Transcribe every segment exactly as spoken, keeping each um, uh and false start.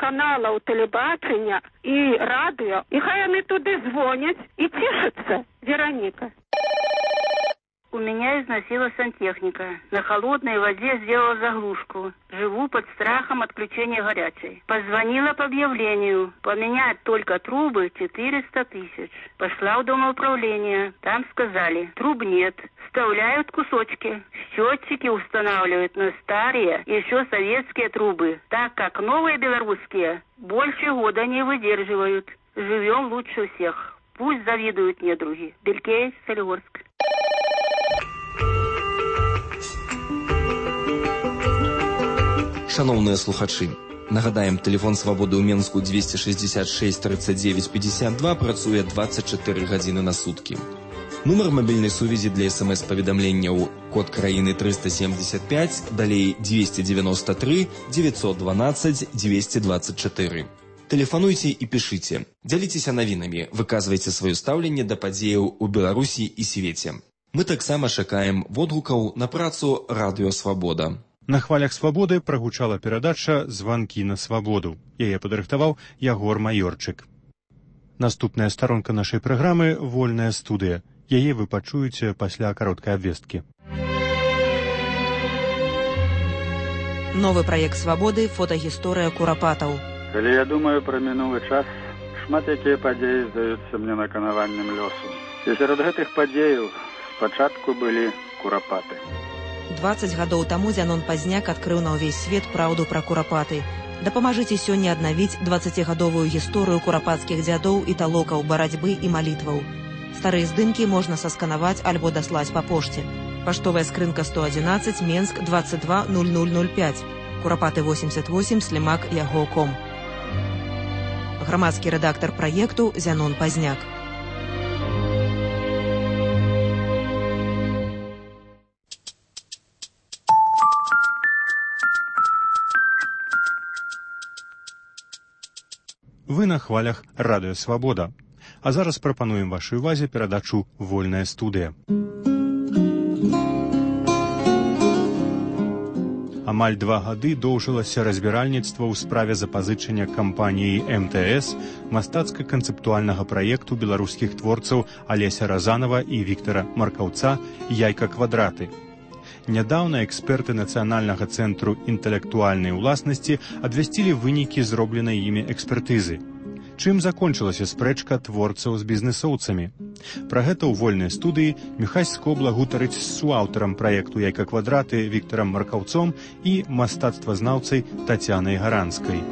каналаў тэлебачання і радыё, і хай яны туды звоняць і цішацца. Вероніка. У меня износила сантехника. На холодной воде сделала заглушку. Живу под страхом отключения горячей. Позвонила по объявлению. Поменять только трубы четыреста тысяч. Пошла в домоуправление. Там сказали, труб нет. Вставляют кусочки. Счетчики устанавливают на старые, еще советские трубы. Так как новые белорусские больше года не выдерживают. Живем лучше всех. Пусть завидуют недруги. Белькей, Солигорск. Шановныя слухачы, нагадаем, тэлефон свабоды ў Менску двести шестьдесят шесть тридцать девять пятьдесят два працуе двадцать четыре гадзіны на суткі. Нумар мабільнай сувязі для смс-паведамленняў код краіны триста семьдесят пять, далей двести девяносто три девятьсот двенадцать двести двадцать четыре. Тэлефануйце і пішыце, дзяліцеся навінамі, выказвайце сваё стаўленне да падзеяў у Беларусі і свеце. Мы таксама чакаем водгукаў на працу Радыё Свабода. На хвалях свабоды прагучала перадача «Званкі на свабоду». Яе падрыхтаваў Ягор Маёрчык. Наступная старонка нашай праграмы «Вольная студыя». Яе вы пачуеце пасля кароткай абвесткі. Новы праект «Свабоды» – фотагісторыя курапатаў. Калі я думаю пра мінулы час, шмат якія падзеі здаюцца мне наканаваннем лёсу. І сярод гэтых падзеяў спачатку былі курапаты. дваццаць гадоў таму Зянон Пазняк адкрыў на ўвесь свет праўду пра курапаты. Дапамажыце сёння аднавіць дваццацігадовую гісторыю курапацкіх дзядоў і талокаў барацьбы і малітваў. Старыя здымкі можна сасканаваць альбо даслаць па пошце. Паштовая скрынка сто одиннадцать, Менск, двадцать два ноль ноль ноль пять. Курапаты восемьдесят восемь, слімак яго точка ком. Грамадскі рэдактар праекту Зянон Пазняк. Вы на хвалях Радыё Свабода. А зараз прапануем вашай увазе перадачу «Вольная студыя». Амаль два гады доўжылася разбіральніцтва ў справе запазычання кампаніі эм тэ эс мастацка-канцэптуальнага праекту беларускіх творцаў Алеся Разанова і Віктара Маркаўца «Яйка-квадраты». Нядаўна эксперты Нацыянальнага цэнтру інтэлектуальнай уласнасці абвясцілі вынікі зробленай імі экспертызы. Чым закончылася спрэчка творцаў з бізнесоўцамі? Пра гэта ў вольнай студыі Міхась Скобла гутарыць з суаўтарам праекту «Яйка-квадраты» Віктарам Маркаўцом і мастацтвазнаўцай Тацянай Гаранскай.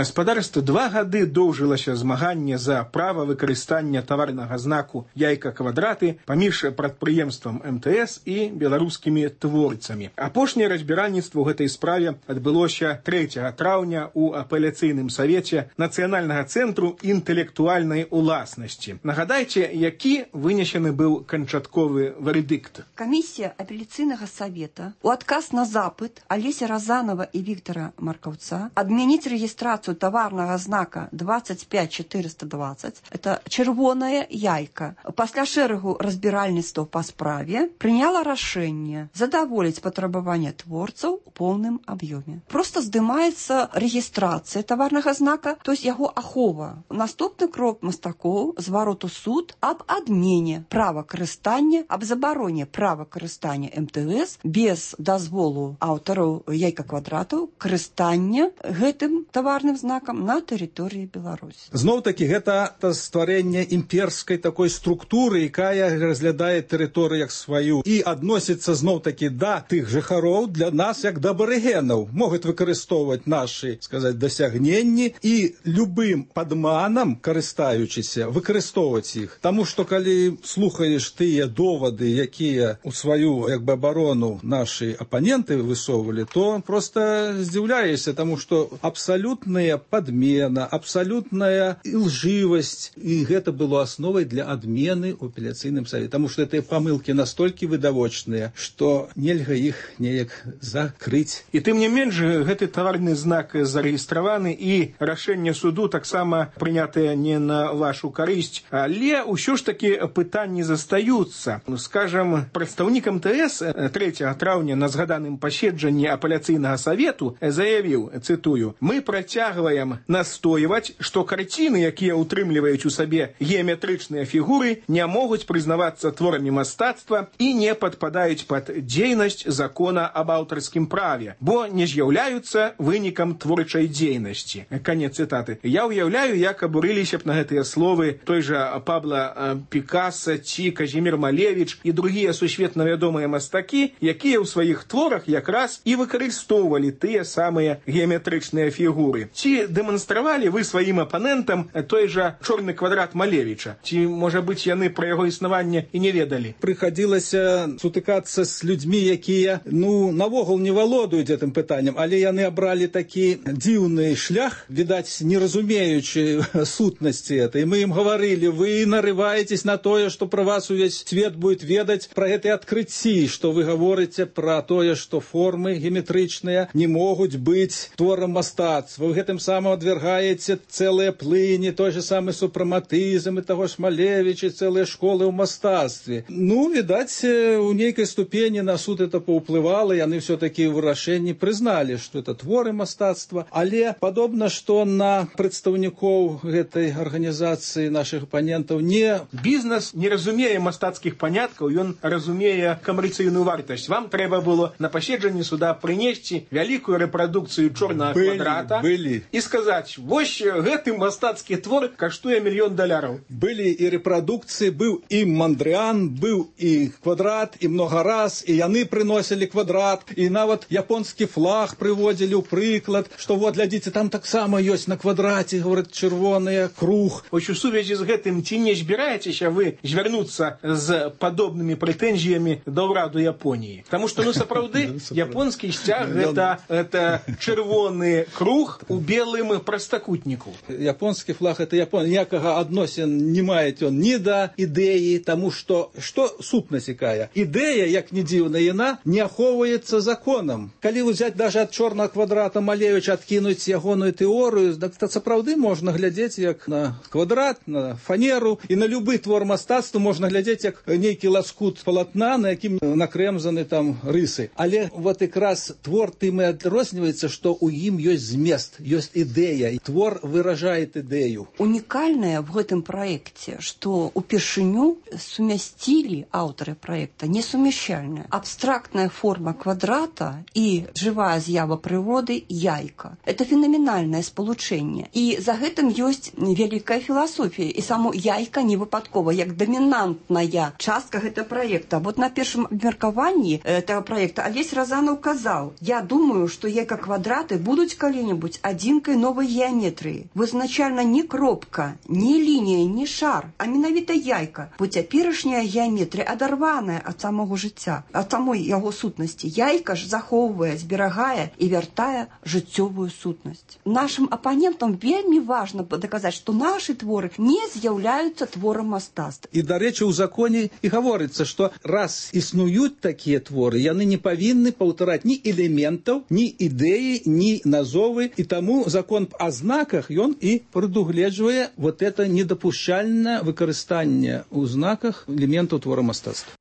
Спадарства, два гады доўжылася змаганне за права выкарыстання таварнага знаку «Яйка-квадраты» паміж прадпрыемствам эм тэ эс і беларускімі творцамі. Апошняе разбіральніцтва ў гэтай справе адбылося трэцяга траўня ў апеляцыйным савеце Нацыянальнага цэнтру інтэлектуальнай уласнасці. Нагадайце, які вынесены быў канчатковы вердикт. Камісія апеляцыйнага савета у адказ на запыт Алеся Разанова і Віктара Маркаўца адмяніць рэгістрацыю таварнага знака двадцать пять четыреста двадцать, это чырвоная яйка, пасля шэрагу разбіральніцтва па справе прыняла рашэнне задаволіць патрабаванне творцаў у поўным аб'ёме. Просто здымаецца рэгістрацыя таварнага знака, то есть яго ахова. Наступны крок мастакоў зварот у суд аб адмене права карыстання, аб забароне права карыстання эм тэ эс без дазволу аўтараў яйка-квадратаў карыстання гэтым таварным знакам на тэрыторыі Беларусі. Зноў-такі гэта стварэнне імперскай такой структуры, якая разглядае тэрыторыю як сваю і адносіцца зноў-такі да тых жыхароў для нас як да абарыгенаў, могуць выкарыстоўваць нашы, сказаць, дасягненні і любым падманам, карыстаючыся, выкарыстоўваць іх. Таму што калі слухаеш тыя довады, якія ў сваю як бы абарону нашы апаненты высоўвалі, то проста здзіўляешся, таму што абсалютна абсалютная падмена, абсалютная лжывасць, і гэта было асновай для адмены ў апеляцыйным савеце, таму што гэтыя памылкі настолькі відавочныя, што нельга іх неяк закрыць. І тым не менш гэты таварны знак зарэгістраваны, і рашэнне суду таксама прынятае не на вашу карысць, але ўсё ж такі пытанні застаюцца. Скажам, прадстаўнік эм тэ эс трэцяга траўня на згаданым паседжанні апеляцыйнага савету заявіў, цытую: «Мы працягваем настойваць, што карціны, якія ўтрымліваюць у сабе геаметрычныя фігуры, не могуць прызнавацца творамі мастацтва і не падпадаюць пад дзейнасць закона аб аўтарскім праве, бо не з'яўляюцца вынікам творчай дзейнасці». Канец цытаты. Я ўяўляю, як абурыліся б на гэтыя словы той жа Пабло Пікаса ці Казімір Малевіч і другія сусветна вядомыя мастакі, якія ў сваіх творах якраз і выкарыстоўвалі тыя самыя геаметрычныя фігуры. Ці дэманстравалі вы сваім апанентам той жа чорны квадрат Малевіча? Ці, можа быць, яны пра яго існаванне і не ведалі? Прыхадзілася сутыкацца з людзьмі, якія, ну, навогул не валодаюць гэтым пытаннем, але яны абралі такі дзіўны шлях, відаць, не разумеючы сутнасці этой. Мы ім гаварылі: вы нарываетесь на тое, што пра вас увесь свет будет ведаць, пра гэтыя адкрыцці, што вы гаворыце пра тое, што формы геаметрычныя не могуць быць творам мастацтва. Вы гэтым самым адвергаеце цэлыя плыні, той же самы супраматызм і таго ж Малевіча, цэлыя школы ў мастацтве. Ну, відаць, у нейкай ступені на суд это паўплывала, яны все-таки ў вырашэнні прызналі, што это творы мастацтва, але падобна, што на прадстаўнікоў гэтай арганізацыі нашых апанентаў не... Бізнес не разумее мастацкіх паняткаў, ён разумее камерцыйную вартасць. Вам трэба было на паседжанні суда прынесці вялікую рэпрадукцыю чорнага квадрата былі. І сказаць: вось гэты мастацкі твор каштуе мільён даляраў. Былі і рэпрадукцыі, быў і Мандрыан, быў і квадрат, і много раз, і яны прыносілі квадрат, і нават японскі флаг прыводзілі ў прыклад, што вот, глядзіце, там таксама ёсць на квадраце, говорят, чырвоны круг. Вось у сувязі з гэтым ці не збіраецеся вы звярнуцца з падобнымі прэтэнзіямі да ўраду Японіі? Таму што, ну, сапраўды, японскі сцяг гэта, гэта чырвоны круг у белым прастакутніку. Японскі флаг это Японія. Ніякага адносін не мае ён ні да ідэі, таму што што сутнасць якая? Ідэя, як не дзіўна, яна не ахоўваецца законам. Калі ўзяць даже ад чорнага квадрата Малевіча, адкінуць ягоную тэорыю, так сапраўды можна глядзець як на квадрат, на фанеру, і на любы твор мастацтва можна глядзець як нейкі ласкут палатна, на якім накрэмзаны там рысы. Але вот якраз твор тым і адрозніваецца, што ў ім ёсць змест, ёсць ідэя, і твор выражае ідэю. Унікальнае в гэтым праекце, што упершыню сумясцілі аўтары праекта несумяшчальная абстрактная форма квадрата і жывая з'ява прыроды яйка. Это фенаменальнае спалучэнне. І за гэтым ёсць вялікая філасофія. І само яйка не выпадкова, як дамінантная частка гэтага праекта. Вот на першым абмеркаванні этого праекта Алесь Разанов казаў: я думаю, што яйка-квадраты будуць калі-небудзь адзінкай новай геаметрыі. Вызначальна не кропка, не лінія, не шар, а менавіта яйка. Бо цяперашняя геаметрыя адарваная ад самого жыцця, ад самой яго сутнасці. Яйка ж захоўвае, зберагае і вяртае жыццёвую сутнасць. Нашым апанентам вельмі важна даказаць, што нашы творы не з'яўляюцца творам мастацтва. І, дарэчы, у законе і гаворыцца, што раз існуюць такія творы, яны не павінны паўтараць ні элементаў, ні ідэі, ні назовы, і таму закон о знаках, ён і прадугледжвае вот это недапушчальнае выкарыстанне ў знаках элементаў твора мастацтва.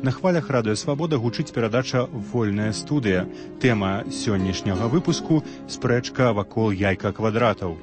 На хвалях радыё Свабода гучыць перадача «Вольная студыя». Тэма сённяшняга выпуску – спрэчка вакол яйка-квадратаў.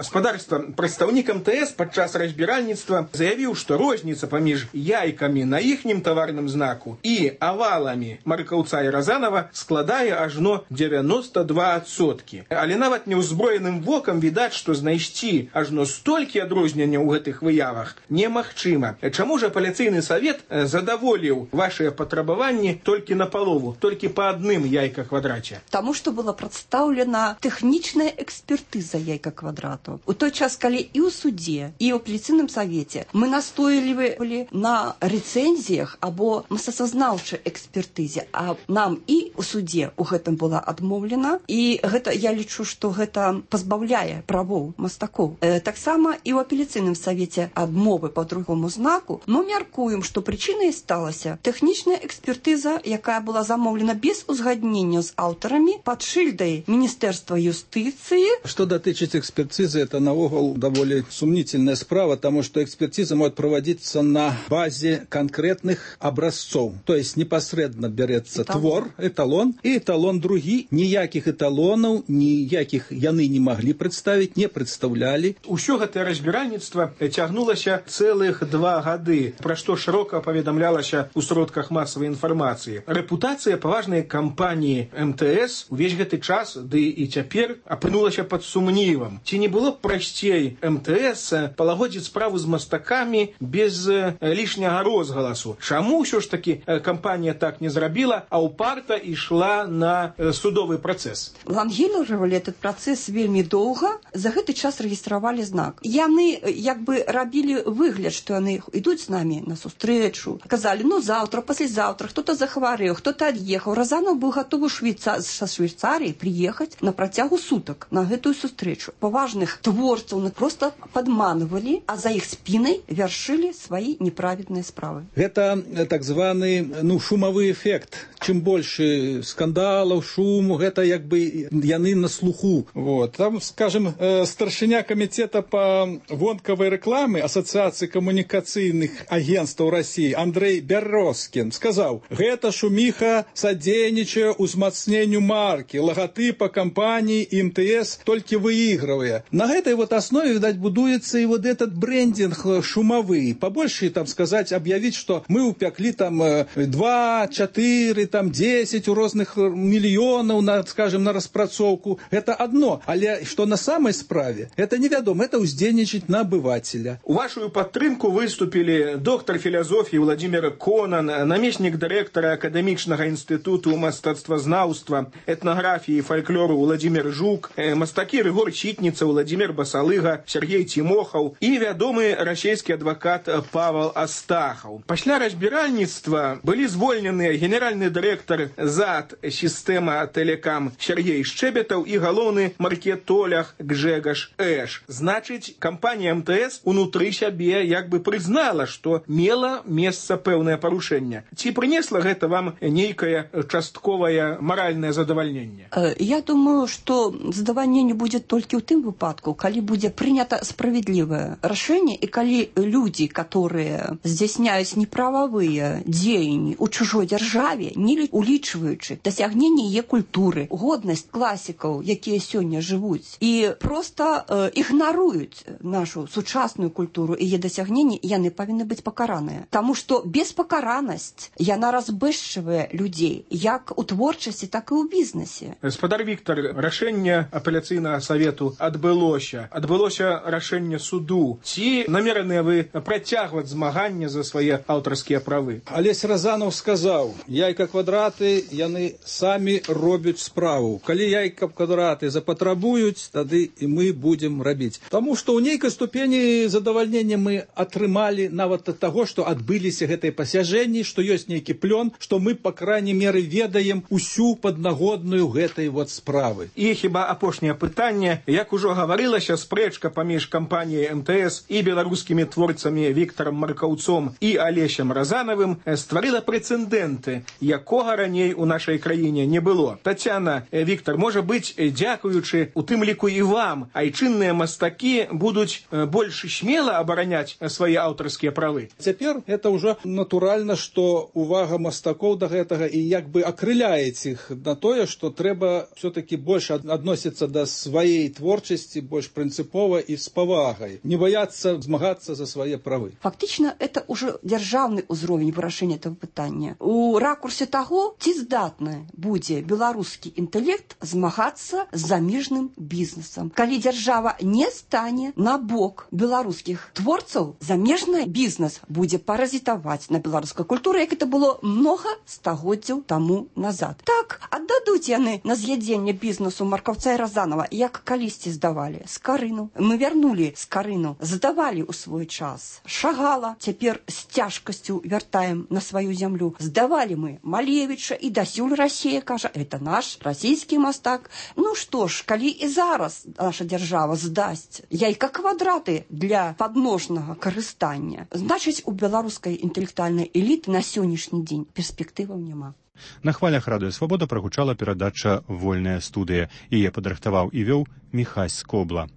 Гаспадарства, прадстаўнік эм тэ эс падчас разбіральніцтва заявіў, што розніца паміж яйкамі на іхнім таварным знаку і аваламі Маркаўца і Разанова складае ажно дзевяноста два адсоткі. Але нават неўзброеным вокам відаць, што знайсці ажно столькі адрозненняў у гэтых выявах немагчыма. Чаму ж апеляцыйны савет задаволіў вашыя патрабаванні толькі напалову, толькі па адным яйка-квадраце? Таму што была прадстаўлена тэхнічная экспертыза яйка-квадрату. мастацтва. У той час, калі і ў судзе, і ў апеляцыйным савеце мы настойлівалі на рэцэнзіях або мастацтвазнаўчай экспертызе, а нам і ў судзе у гэтым была адмоўлена, і гэта, я лічу, што гэта пазбаўляе правоў мастакоў. Э, таксама і ў апеляцыйным савеце адмовы па другому знаку мы мяркуем, што прычынай сталася тэхнічная экспертыза, якая была замоўлена без узгаднення з аўтарамі пад шыльдай Міністэрства юстыцыі. Что датычыць экспертизы, это наогул довольно сомнительная справа, потому что экспертиза может проводиться на базе конкретных образцов. То есть непосредственно берется эталон. твор, эталон, и эталон другі. Ніякіх эталонаў, ніякіх яны не могли представить, не представляли. Усё гэтае разбіральніцтва цягнулася цэлых два гады, пра што шырока паведамлялася ў сродках масавай інфармацыі. Рэпутацыя паважнай кампаніі эм тэ эс увесь гэты час, ды і цяпер, апынулася пад сумнівам. Ці не было б прасцей эм тэ эс палагодзіць справу з мастакамі без лішняга розгаласу? Чаму ўсё ж такі кампанія так не зрабіла, а ўпарта ішла на судовы працэс? Лангіліравалі этот працэс вельмі доўга, за гэты час рэгістравалі знак. Яны як бы рабілі выгляд, што яны ідуць з намі на сустрэчу. Казалі, ну заўтра, паслязаўтра, хто-то захварэў, хто-то ад'ехаў. Разанов быў гатовы Швейца... са Швейцарыі прыехаць на працягу сутак на гэтую сустрэчу. Паважных творцаў просто падманывалі, а за іх спінай вяршылі свае неправедныя справы. Гэта так званы ну, шумовы эффект. Чым больше скандалаў, шуму, гэта як бы яны на слуху. Вот. Там, скажем, старшыня камітэта по вонкавай рэкламы Асацыяцыі камунікацыйных агентстваў России Андрей Бярозкін сказаў: гэта шуміха садзейнічае узмацненню маркі, лагатыпа кампании эм тэ эс толькі выигрывая. На этой вот основе, видать, будуется и вот этот брендинг шумовый. Побольше там сказать, объявить, что мы упекли там два, четыре, там десять у разных миллионов, на, скажем, на распрацоўку. Это одно. Але что на самой справе, это невядомо, это уздзейнічаць на обывателя. У вашу падтрымку выступили доктор философии Владимир Конан, намеснік дырэктара акадэмічнага інстытуту мастацтвазнаўства, этнографии и фольклору Владимир Жук, мастакі Рыгор Читница, Владимир Басалыга, Сергей Тимохов и вядомы расійскі адвокат Павел Астахов. Пасля разбіральніцтва былі звольненыя генеральны дырэктар ЗАД «Система Телекам» Сергей Шчебетаў и галоўны маркетолог Гжегаш Эш. Значыць, кампанія эм тэ эс унутры сябе як бы прызнала, што мела месца пэўнае парушэнне. Ці прынесла гэта вам нейкае частковае маральнае задавальненне? Я думаю, что задавальненне будет только ў тым выпадку, калі будзе прынята справедливое рашэнне, и калі люди, которые здзяйсняюць неправавыя дзеянні ў чужой дзяржаве, не улічваючы дасягненне яе культуры, годнасць класікаў, якія сёння жывуць, і просто э, ігнаруюць нашу сучасную культуру і яе дасягненні, яны павінны быць пакараныя. Таму што беспакаранасць, яна разбэшчвае людзей, як у творчасці, так і ў бізнесе. Гаспадар Віктор, рашэнне апеляцыйнага савету адбылося. Адбылося рашэнне суду. Ці намераныя вы працягваць змаганне за свае аўтарскія правы? Алесь Разанов сказаў: яйка квадраты, яны самі робяць справу. Калі яйка квадраты запатрабуюць, тады і мы будзем рабіць. Таму што ў нейкай ступені задавальнення мы атрымалі нават ад таго, што адбыліся гэтыя пасяжэнні, што ёсць нейкі плён, што мы, па крайней меры, ведаем усю паднагодную гэтай вот справы. І хіба апошняе пытанне, як ужо гаварылася, спрэчка паміж кампаніяй эм тэ эс і беларускімі творцамі Віктарам Маркаўцом і Алесем Разанавым стварыла прэцэдэнты, якога раней у нашай краіне не было. Тацяна, Віктар, можа быць, дзякуючы у тым ліку і вам, айчынныя мастакі будуць больш смела абараняць свае аўтарскія правы? Цяпер это ўжо натуральна, што увага мастакоў да гэтага і як бы акрыляець іх на тое, што трэба все-таки больш адносіцца да сваей творчасці, больш прынцыпова і з павагай, не баяцца змагацца за свае правы. Фактично, это уже дзяржаўны ўзровень вырашэння этого пытання. У ракурсе таго, ці здатны будзе беларускі інтэлект змагацца з замежным бізнесам. Калі дзяржава не стане на бок беларускіх творцаў, замежны бізнес будзе паразітаваць на беларускай культуры, як это было многа стагоддзяў таму назад. Так, аддадуць яны на з'ядзенне бізнесу Маркаўца і Разанова, як калісьці здавалі. здавалі Скарыну. Мы вярнулі Скарыну, здавалі ў свой час Шагала, цяпер з цяжкасцю вяртаем на сваю зямлю. Здавалі мы Малевіча, і дасюль Расія кажа, это наш расійскі мастак. Ну што ж, калі і зараз наша дзяржава здасць яйка квадраты для падножнага карыстання, значыць, у беларускай інтэлектуальнай эліты на сённяшні дзень перспектываў няма. На хвалях радыё Свабода прагучала перадача «Вольная студыя». Яе падрыхтаваў і вёў Міхась Скобла.